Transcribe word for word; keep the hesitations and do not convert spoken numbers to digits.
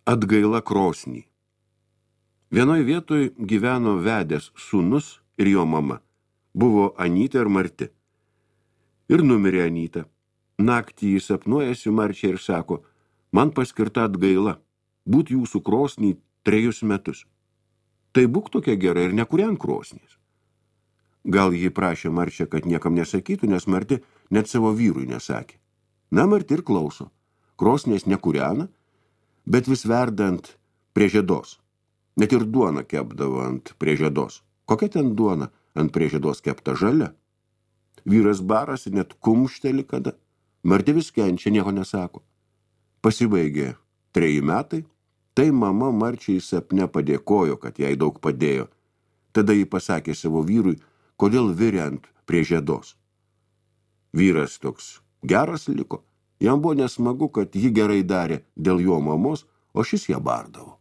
Atgaila krosnį. Vienoj vietoj gyveno vedęs sūnus ir jo mama. Buvo Anyta ir Marti. Ir numirė Anyta. Naktį jis sapnuojasi Marčią ir sako, man paskirta atgaila, būt jūsų krosnį trejus metus. Tai būk tokia gera ir nekūrenk krosnys. Gal jį prašė Marčią, kad niekam nesakytų, nes Marti net savo vyrui nesakė. Na, Marti ir klauso. Krosnės nekūrena, bet vis verdant prie žiedos. Net ir duona kepdavo ant prie žiedos. Kokia ten duona ant prie žiedos kepta žalia? Vyras barasi, net kumšteli kada. Marti vis kenčia, nieko nesako. Pasibaigė treji metai, tai mama Marčiai sapne padėkojo, kad jai daug padėjo. Tada ji pasakė savo vyrui, kodėl virė ant prie žiedos. Vyras toks geras liko. Jam buvo nesmagu, kad ji gerai darė dėl jo mamos, o šis ją bardavo.